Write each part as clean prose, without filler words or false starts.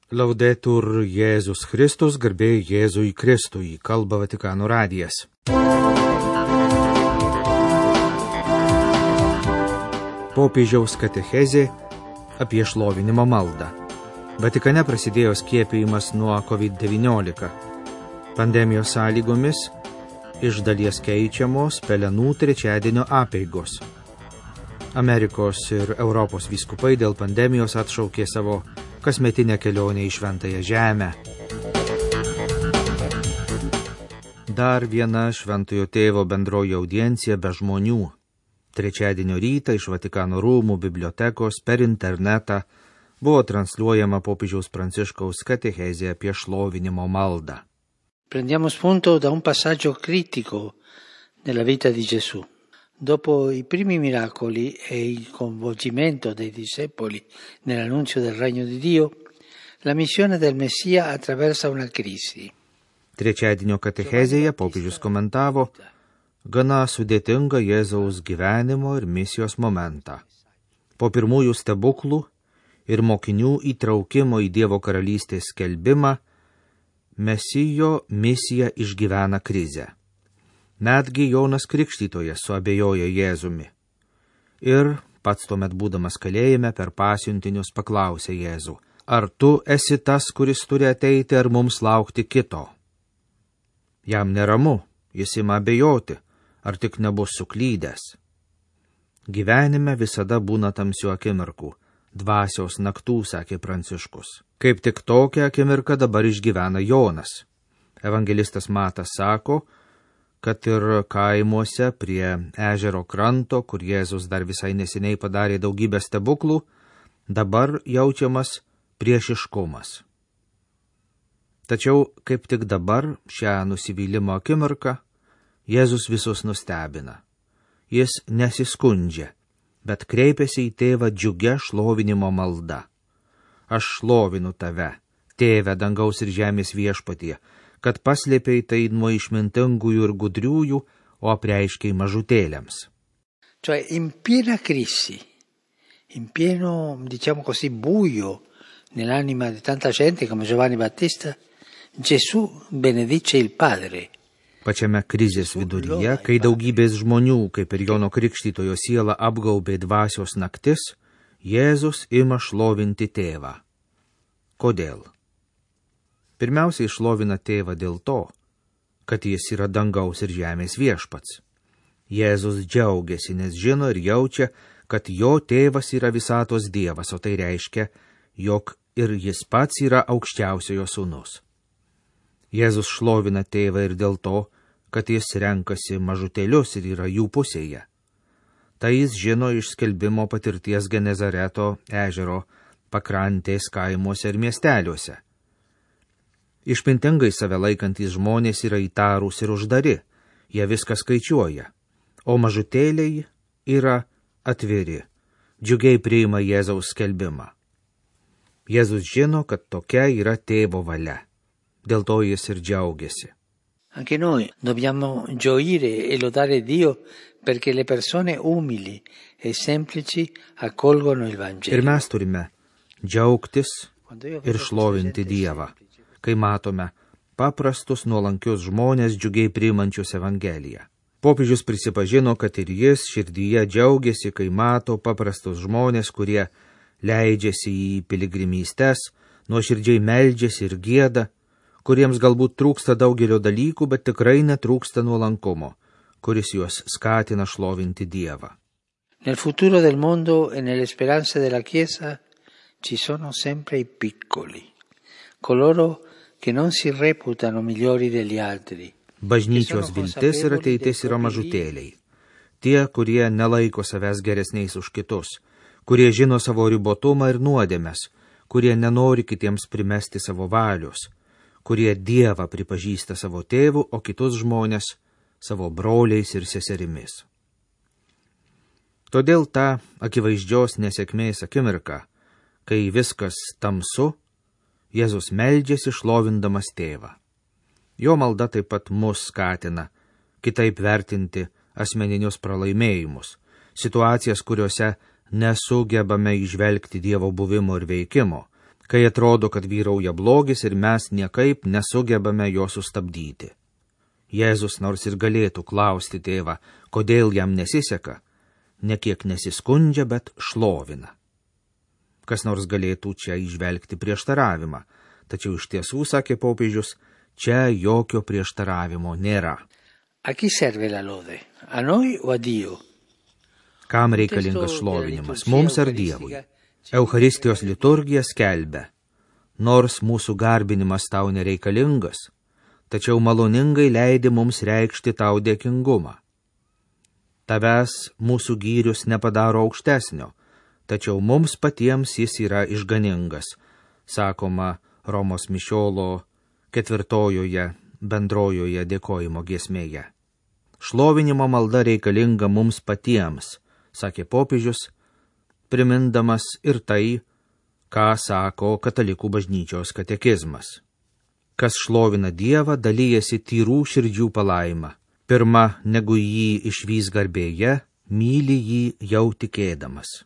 Laudetur Jėzus Kristus, garbė Jėzui Kristui, kalba Vatikano radijas. Popiežiaus katechezė apie šlovinimo maldą. Vatikane prasidėjo skiepijimas nuo COVID-19. Pandemijos sąlygomis iš dalies keičiamos pelenų trečiadienio apeigos. Amerikos ir Europos vyskupai dėl pandemijos atšaukė savo kasmetinę kelionę į Šventąją Žemę. Dar viena Šventojo Tėvo bendroji audiencija be žmonių. Trečiadienio rytą iš Vatikano rūmų bibliotekos per internetą buvo transliuojama popiežiaus Pranciškaus katechezė apie šlovinimo maldą. Prendiamo spunto da un passaggio critico nella vita di Gesù. Dopo i primi miracoli e il coinvolgimento dei discepoli nell'annunzio del regno di Dio, la missione del Messia attraversa una crisi. Trečiadienio katechezėje popiežius komentavo gana sudėtingą Jėzaus gyvenimo ir misijos momentą. Po pirmųjų stebuklų ir mokinių įtraukimo į Dievo karalystės skelbimą, Mesijo misija išgyvena krizę. Netgi Jonas Krikštytojas suabejoja Jėzumi. Ir pats tuomet būdamas kalėjime per pasiuntinius paklausė Jėzų, ar tu esi tas, kuris turi ateiti, ar mums laukti kito? Jam neramu, jis ima abejoti, ar tik nebus suklydęs. Gyvenime visada būna tamsių akimirkų, dvasios naktų, sakė Pranciškus. Kaip tik tokią akimirką dabar išgyvena Jonas. Evangelistas Matas sako, kad ir kaimuose prie ežero kranto, kur Jėzus dar visai neseniai padarė daugybę stebuklų, dabar jaučiamas priešiškumas. Tačiau kaip tik dabar, šią nusivylimo akimirką, Jėzus visus nustebina. Jis nesiskundžia, bet kreipiasi į tėvą džiugia šlovinimo malda. Aš šlovinu tave, tėve dangaus ir žemės viešpatie, kad paslėpei tai nuo išmintingųjų ir gudriųjų, o apreiškei mažutėliams. Cioè in piena crisi, in pieno, diciamo così, buio nell'anima di tanta gente come Giovanni Battista, Gesù benedice il Padre. Pačiame krizės viduryje, kai daugybės žmonių, kaip ir Jono Krikštytojo siela apgaubė dvasios naktis, Jėzus ima šlovinti tėvą. Kodėl? Pirmiausiai šlovina tėvą dėl to, kad jis yra dangaus ir žemės viešpats. Jėzus džiaugiasi, nes žino ir jaučia, kad jo tėvas yra visatos Dievas, o tai reiškia, jog ir jis pats yra aukščiausiojo sūnus. Jėzus šlovina tėvą ir dėl to, kad jis renkasi mažutėlius ir yra jų pusėje. Tai jis žino iš skelbimo patirties Genezareto ežero pakrantės kaimuose ir miesteliuose. Išmintingai save laikantys žmonės yra įtarūs ir uždari, jie viską skaičiuoja, o mažutėliai yra atviri, džiugiai priima Jėzaus skelbimą. Jėzus žino, kad tokia yra tėvo valia, dėl to jis ir džiaugiasi. Anche noi dobbiamo gioire e lodare Dio perché le persone umili e semplici accolgono il Vangelo. Ir mes turime džiaugtis ir šlovinti Dievą, kai matome paprastus nuolankius žmonės džiugiai priimančius Evangeliją. Popiežius prisipažino, kad ir jis širdyje džiaugiasi, kai mato paprastus žmonės, kurie leidžiasi į piligrimystes, nuoširdžiai meldžiasi ir gieda, kuriems galbūt trūksta daugelio dalykų, bet tikrai netrūksta nuolankumo, kuris juos skatina šlovinti Dievą. Nel futuro del mondo e nelle speranze della Chiesa ci sono sempre i piccoli, coloro che non si reputano migliori degli altri. Bažnyčios viltis ir ateitis yra mažutėliai. Tie, kurie nelaiko savęs geresniais už kitus, kurie žino savo ribotumą ir nuodėmes, kurie nenori kitiems primesti savo valios, kurie Dievą pripažįsta savo tėvu, o kitus žmonės savo broliais ir seserimis. Todėl ta akivaizdžios nesėkmės akimirka, kai viskas tamsu, Jėzus meldžiasi šlovindamas tėvą. Jo malda taip pat mus skatina kitaip vertinti asmeninius pralaimėjimus, situacijas, kuriuose nesugebame įžvelgti Dievo buvimo ir veikimo, kai atrodo, kad vyrauja blogis ir mes niekaip nesugebame jo sustabdyti. Jėzus nors ir galėtų klausti tėvą, kodėl jam nesiseka, nekiek nesiskundžia, bet šlovina. Kas nors galėtų čia įžvelgti prieštaravimą, tačiau iš tiesų, sakė popiežius, čia jokio prieštaravimo nėra. A chi serve la lode? A noi o a Dio? Kam reikalingas šlovinimas, mums ar Dievui? Eucharistijos liturgija skelbia, nors mūsų garbinimas tau nereikalingas, tačiau maloningai leidi mums reikšti tau dėkingumą. Tavęs mūsų gyrius nepadaro aukštesnio, tačiau mums patiems jis yra išganingas, sakoma Romos mišiolo 4 bendrojoje dėkojimo giesmėje. Šlovinimo malda reikalinga mums patiems, sakė popiežius, primindamas ir tai, ką sako katalikų bažnyčios katekizmas. Kas šlovina Dievą, dalyjasi tyrų širdžių palaima. Pirma, negu jį išvys garbėje, myli jį jau tikėdamas.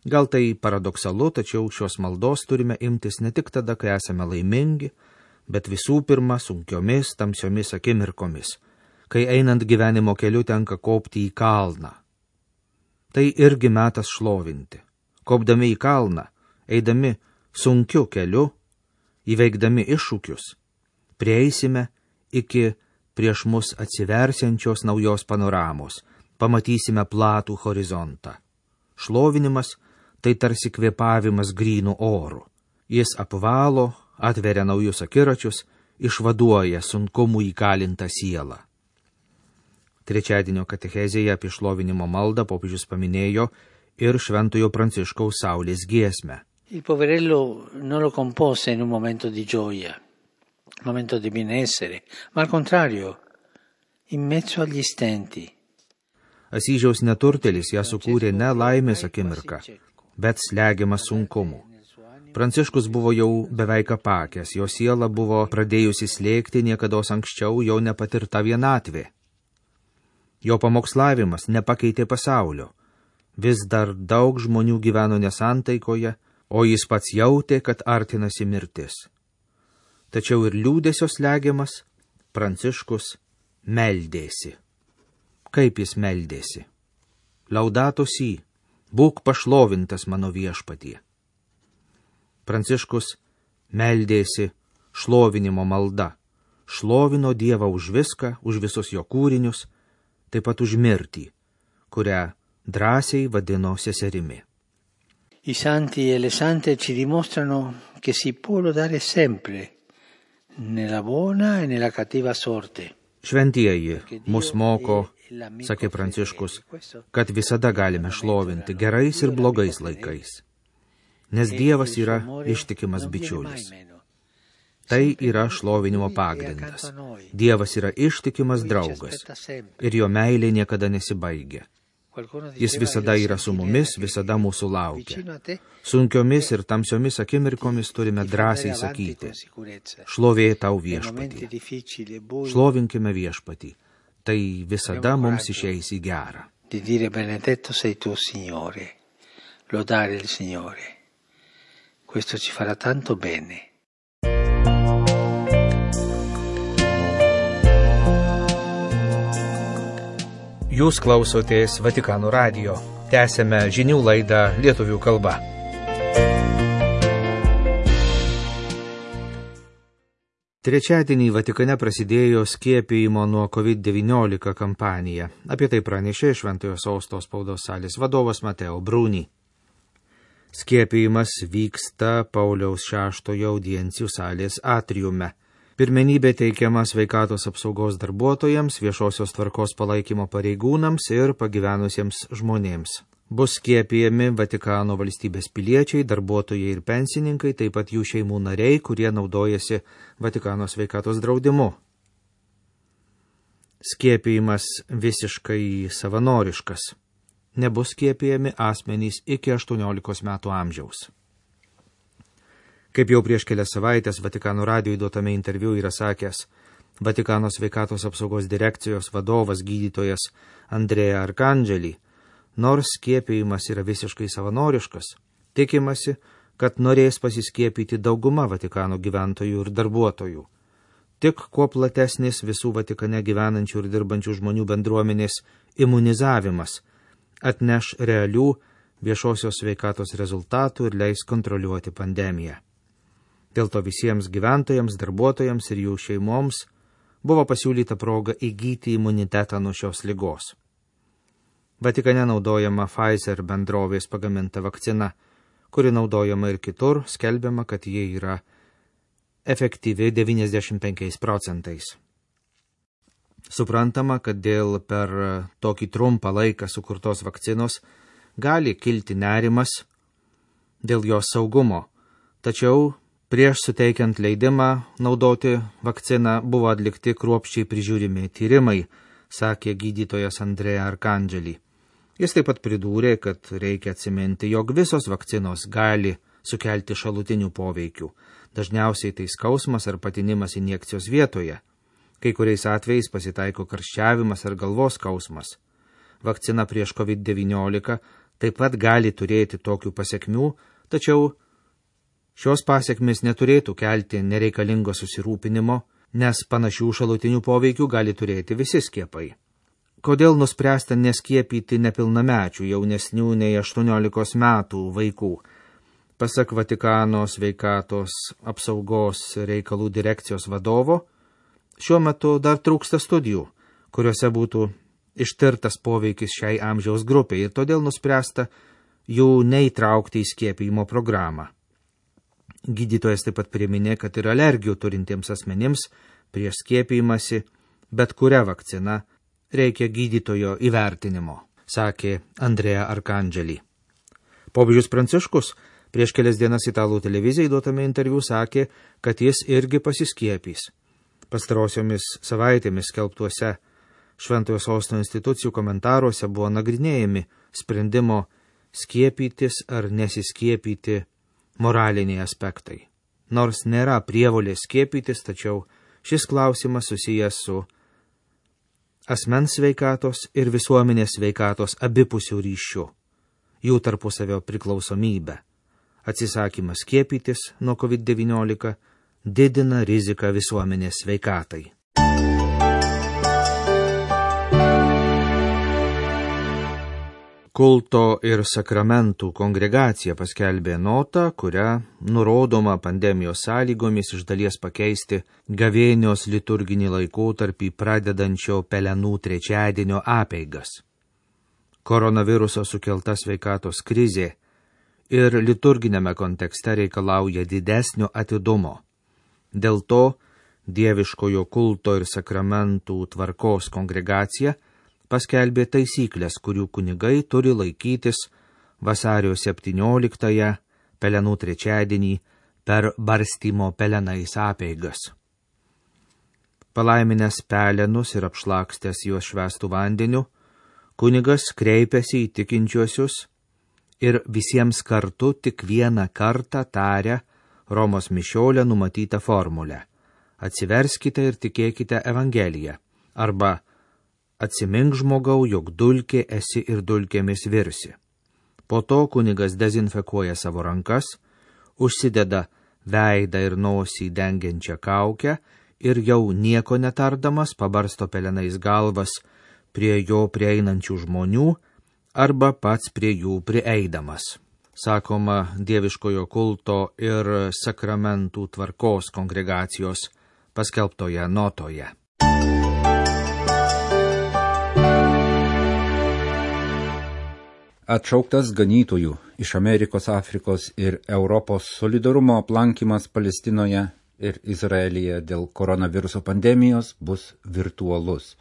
Gal tai paradoksalu, tačiau šios maldos turime imtis ne tik tada, kai esame laimingi, bet visų pirma sunkiomis, tamsiomis akimirkomis, kai einant gyvenimo keliu tenka kopti į kalną. Tai irgi metas šlovinti. Kopdami į kalną, eidami sunkiu keliu, įveikdami iššūkius, prieisime iki prieš mus atsiversiančios naujos panoramos, pamatysime platų horizontą. Šlovinimas tai tarsi kvėpavimas grynų orų. Jis apvalo, atveria naujus akiračius, išvaduoja sunkumų įkalintą sielą. Trečiadienio katechezėje apie šlovinimo maldą popiežius paminėjo ir Šventojo Pranciškaus Saulės giesmę. Il poverello non lo compose in un momento di gioia, un momento di benessere, ma al contrario, in mezzo agli stenti. Asyžiaus neturtelis ją sukūrė ne laimės akimirką, bet slegiamas sunkumų. Pranciškus buvo jau beveik apakęs, jo siela buvo pradėjusi slėgti niekados anksčiau jau nepatirta vienatvė. Jo pamokslavimas nepakeitė pasaulio. Vis dar daug žmonių gyveno nesantaikoje, o jis pats jautė, kad artinasi mirtis. Tačiau ir liūdesio slegiamas, Pranciškus meldėsi. Kaip jis meldėsi? Laudato si, būk pašlovintas mano viešpatie. Pranciškus meldėsi šlovinimo malda, šlovino Dievą už viską, už visus jo kūrinius, taip pat už mirtį, kurią drąsiai vadino seserimi. I santi e le sante ci dimostrano che si può lodare sempre, nella buona e nella cattiva sorte. Šventieji mus moko, sakė Pranciškus, kad visada galime šlovinti gerais ir blogais laikais, nes Dievas yra ištikimas bičiulis. Tai yra šlovinimo pagrindas. Dievas yra ištikimas draugas ir jo meilė niekada nesibaigia. Jis visada yra su mumis, visada mūsų laukia. Sunkiomis ir tamsiomis akimirkomis turime drąsiai sakyti, šlovė tau viešpatį. Šlovinkime viešpatį. Tai visada mums išeis į gerą. Di dire benedetto sei tu, Signore, lodare il Signore. Questo ci farà tanto bene. Jūs klausotės Vatikano radijo. Tęsėme žinių laidą lietuvių kalba. Trečiadienį Vatikane prasidėjo skiepijimo nuo COVID-19 kampanija. Apie tai pranešė Šventojo Sosto spaudos salės vadovas Mateo Bruni. Skiepijimas vyksta Pauliaus VI audiencijų salės atriume. Pirmenybė teikiama sveikatos apsaugos darbuotojams, viešosios tvarkos palaikymo pareigūnams ir pagyvenusiems žmonėms. Bus skiepijami Vatikano valstybės piliečiai, darbuotojai ir pensininkai, taip pat jų šeimų nariai, kurie naudojasi Vatikano sveikatos draudimu. Skiepijimas visiškai savanoriškas. Nebus skiepijami asmenys iki 18 metų amžiaus. Kaip jau prieš kelias savaitės Vatikano radijui duotame interviu yra sakęs Vatikano sveikatos apsaugos direkcijos vadovas gydytojas Andrea Arcangeli, nors skiepijimas yra visiškai savanoriškas, tikimasi, kad norės pasiskiepyti dauguma Vatikano gyventojų ir darbuotojų. Tik kuo platesnis visų Vatikane gyvenančių ir dirbančių žmonių bendruomenės imunizavimas atneš realių viešosios sveikatos rezultatų ir leis kontroliuoti pandemiją. Dėl to visiems gyventojams, darbuotojams ir jų šeimoms buvo pasiūlyta proga įgyti imunitetą nuo šios ligos. Vatikane naudojama Pfizer bendrovės pagaminta vakcina, kuri naudojama ir kitur, skelbiama, kad jie yra efektyvi 95%. Suprantama, kad dėl per tokį trumpą laiką sukurtos vakcinos gali kilti nerimas dėl jos saugumo, tačiau prieš suteikiant leidimą naudoti vakciną buvo atlikti kruopščiai prižiūrimi tyrimai, sakė gydytojas Andrea Arcangeli. Jis taip pat pridūrė, kad reikia atsiminti, jog visos vakcinos gali sukelti šalutinių poveikių. Dažniausiai tai skausmas ar patinimas injekcijos vietoje. Kai kuriais atvejais pasitaiko karščiavimas ar galvos skausmas. Vakcina prieš COVID-19 taip pat gali turėti tokių pasekmių, tačiau šios pasekmės neturėtų kelti nereikalingo susirūpinimo, nes panašių šalutinių poveikių gali turėti visi skiepai. Kodėl nuspręsta neskiepyti nepilnamečių jaunesnių nei 18 metų vaikų? Pasak Vatikano sveikatos apsaugos reikalų direkcijos vadovo, šiuo metu dar trūksta studijų, kuriuose būtų ištirtas poveikis šiai amžiaus grupiai ir todėl nuspręsta jų neįtraukti į skiepijimo programą. Gydytojas taip pat priminė, kad ir alergijų turintiems asmenims prieš skiepijimąsi bet kuria vakcina reikia gydytojo įvertinimo, sakė Andrea Arcangeli. Popiežius Pranciškus prieš kelias dienas italų televizijai duotame interviu sakė, kad jis irgi pasiskiepys. Pastarosiomis savaitėmis skelbtuose Šventojo Sosto institucijų komentaruose buvo nagrinėjami sprendimo skiepytis ar nesiskiepyti moraliniai aspektai. Nors nėra prievolės skiepytis, tačiau šis klausimas susijęs su asmens sveikatos ir visuomenės sveikatos abipusių ryšių, jų tarpusavio priklausomybę. Atsisakymas skiepytis nuo COVID-19 didina riziką visuomenės sveikatai. Kulto ir sakramentų kongregacija paskelbė notą, kuria nurodoma pandemijos sąlygomis iš dalies pakeisti gavėnios liturginį laikotarpį pradedančio Pelenų trečiadienio apeigas. Koronaviruso sukelta sveikatos krizė ir liturginėme kontekste reikalauja didesnio atidumo. Dėl to Dieviškojo kulto ir sakramentų tvarkos kongregacija paskelbė taisyklės, kurių kunigai turi laikytis vasario 17-ąją Pelenų trečiadienį per barstymo pelenais apeigas. Palaiminęs pelenus ir apšlakstęs juos švęstų vandeniu, kunigas kreipėsi į tikinčiuosius ir visiems kartu tik vieną kartą taria Romos mišiolę numatytą formulę. Atsiverskite ir tikėkite Evangeliją, arba atsimink žmogau, jog dulkė esi ir dulkėmis virsi. Po to kunigas dezinfekuoja savo rankas, užsideda veidą ir nosį dengiančią kaukę ir jau nieko netardamas pabarsto pelenais galvas prie jo prieinančių žmonių arba pats prie jų prieidamas. Sakoma Dieviškojo kulto ir sakramentų tvarkos kongregacijos paskelbtoje notoje. Atšauktas ganytojų iš Amerikos, Afrikos ir Europos solidarumo aplankymas Palestinoje ir Izraelyje dėl koronaviruso pandemijos bus virtualus.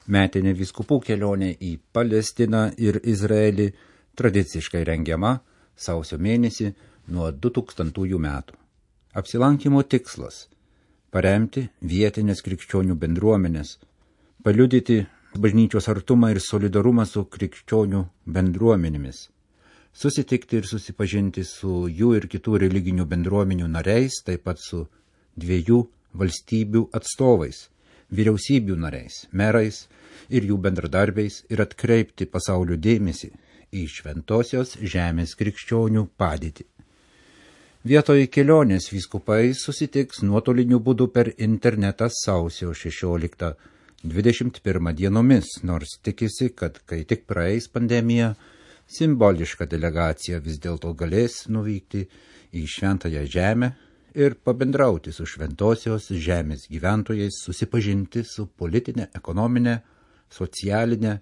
Metinė vyskupų kelionė į Palestiną ir Izraelį tradiciškai rengiama sausio mėnesį nuo 2000 metų. Apsilankimo tikslas – paremti vietinės krikščionių bendruomenės, paliudyti bažnyčios artumą ir solidarumą su krikščionių bendruomenėmis, susitikti ir susipažinti su jų ir kitų religinių bendruomenių nariais, taip pat su 2 valstybių atstovais, vyriausybių nariais, merais ir jų bendradarbiais ir atkreipti pasaulio dėmesį į šventosios žemės krikščionių padėtį. Vietoj kelionės vyskupai susitiks nuotoliniu būdu per internetą sausio 16-21 dienomis, nors tikisi, kad kai tik praeis pandemija, simboliška delegacija vis dėlto galės nuvykti į Šventąją Žemę ir pabendrauti su Šventosios Žemės gyventojais, susipažinti su politinė, ekonominė, socialinė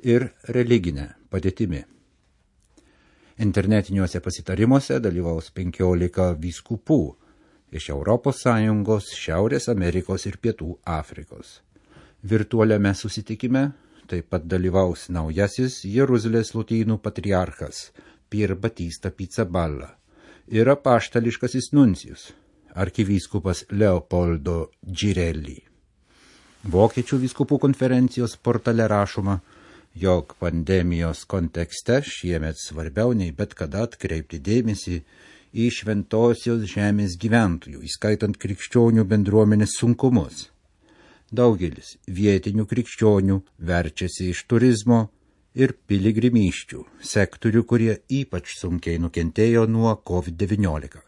ir religinė padėtimi. Internetiniuose pasitarimuose dalyvaus 15 vyskupų iš ES, Šiaurės Amerikos ir Pietų Afrikos. Virtualiame susitikime taip pat dalyvaus naujasis Jeruzalės lotynų patriarchas Pier Batista Pizzaballa ir apaštališkasis nuncijus arkivyskupas Leopoldo Girelli. Vokiečių vyskupų konferencijos portale rašoma, jog pandemijos kontekste šiemet svarbiau nei bet kada atkreipti dėmesį į Šventosios Žemės gyventojų, įskaitant krikščionių bendruomenės sunkumus. Daugelis vietinių krikščionių verčiasi iš turizmo ir piligrimysčių, sektorių, kurie ypač sunkiai nukentėjo nuo COVID-19.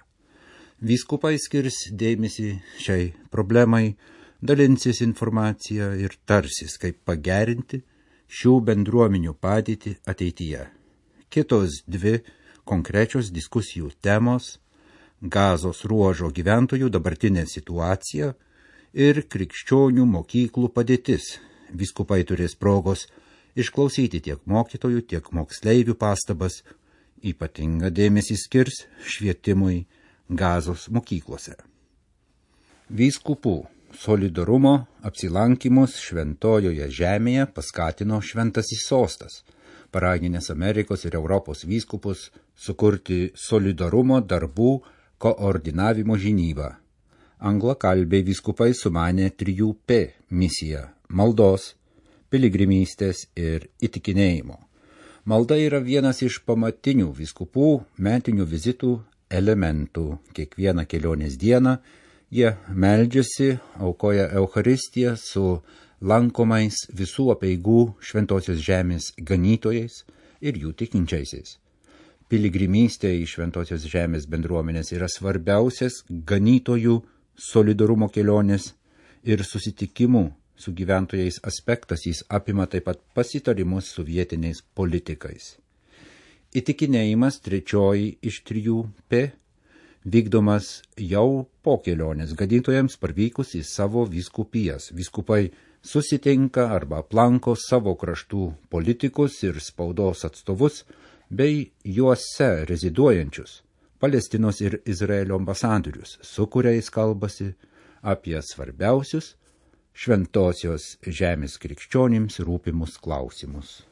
Vyskupai skirs dėmesį šiai problemai, dalinsis informaciją ir tarsis, kaip pagerinti šių bendruomenių padėtį ateityje. Kitos dvi konkrečios diskusijų temos – Gazos ruožo gyventojų dabartinė situacija ir krikščionių mokyklų padėtis. Vyskupai turės progos išklausyti tiek mokytojų, tiek moksleivių pastabas, ypatingą dėmesį skirs švietimui Gazos mokyklose. Vyskupų solidarumo apsilankymus Šventojoje Žemėje paskatino Šventasis Sostas, paraginęs Amerikos ir Europos vyskupus sukurti solidarumo darbų koordinavimo žinybą. Anglakalbiai vyskupai sumanė 3P misiją – maldos, piligrimystės ir įtikinėjimo. Malda yra vienas iš pamatinių vyskupų metinių vizitų elementų. Kiekvieną kelionės dieną jie meldžiasi, aukoja Eucharistiją su lankomais visų apeigų Šventosios Žemės ganytojais ir jų tikinčiaisiais. Piligrimystė į Šventosios Žemės bendruomenės yra svarbiausias ganytojų solidarumo kelionės ir susitikimų su gyventojais aspektas. Jis apima taip pat pasitarimus su vietiniais politikais. Įtikinėjimas, trečioji iš 3P, vykdomas jau po kelionės ganytojams parvykus į savo vyskupijas. Vyskupai susitinka arba aplanko savo kraštų politikus ir spaudos atstovus bei juose reziduojančius Palestinos ir Izraelio ambasadorius, su kuriais kalbasi apie svarbiausius Šventosios Žemės krikščionims rūpimus klausimus.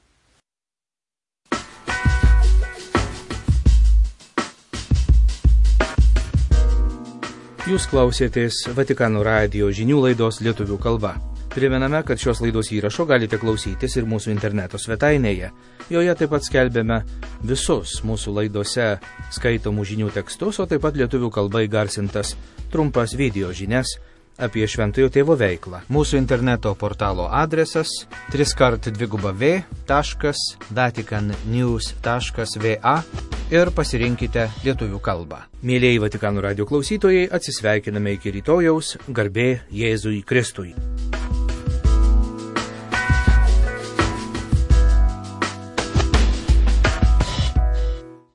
Jūs klausėtės Vatikano radijo žinių laidos lietuvių kalba. Primename, kad šios laidos įrašo galite klausytis ir mūsų interneto svetainėje. Joje taip pat skelbėme visus mūsų laidose skaitomų žinių tekstus, o taip pat lietuvių kalba įgarsintas trumpas video žinias apie Šventojo Tėvo veiklą. Mūsų interneto portalo adresas www.vaticannews.va ir pasirinkite lietuvių kalbą. Mėlieji Vatikano radijo klausytojai, atsisveikiname iki rytojaus, garbė Jėzui Kristui.